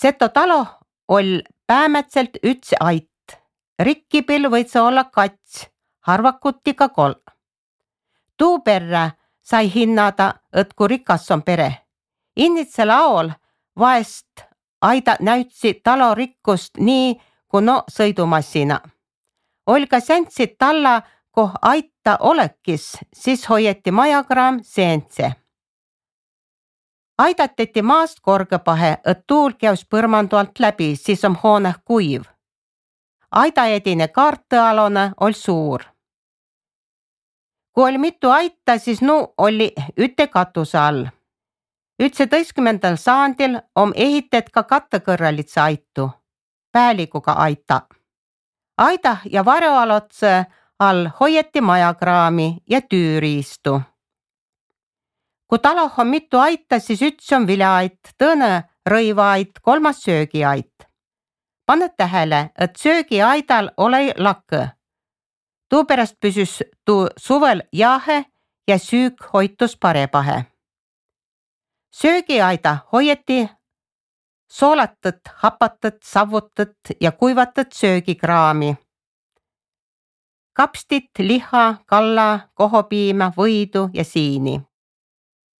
Seto talo oll päämätselt üts ait. Rikkipil võid see olla kats, harvakuti ka kolm. Tuu perre sai hinnada, et kui rikas on pere. Innitse laol vaest aida näütsi talo rikkust nii, kui no sõidumassina. Oll ka säntsid talla, koh aita olekis, siis hoieti majakraam seentse. Aidateti maast korgepahe, et tuul käus põrmandu alt läbi, siis on hoone kuiv. Aidaedine kaartõalone oll suur. Kui oli mitu aita, siis oli üte katuse all. 19. saandil on ehitet ka kattekõrralitse aitu, päälikuga aita. Aida ja varjoalotse all hoieti majakraami ja tüüriistu. Kui taloh on mitu aita, siis üks on viljaait, tõõne rõivaait, kolmas söögiait. Pane tähele, et söögiaidal ole lakke. Tuupärast püsüs tuu suvel jahe ja süük hoitus parepahe. Söögiaida hoieti soolatet, hapatet, savutet ja kuivatet söögikraami. Kapstit, liha, kalla, kohopiima, võidu ja siini.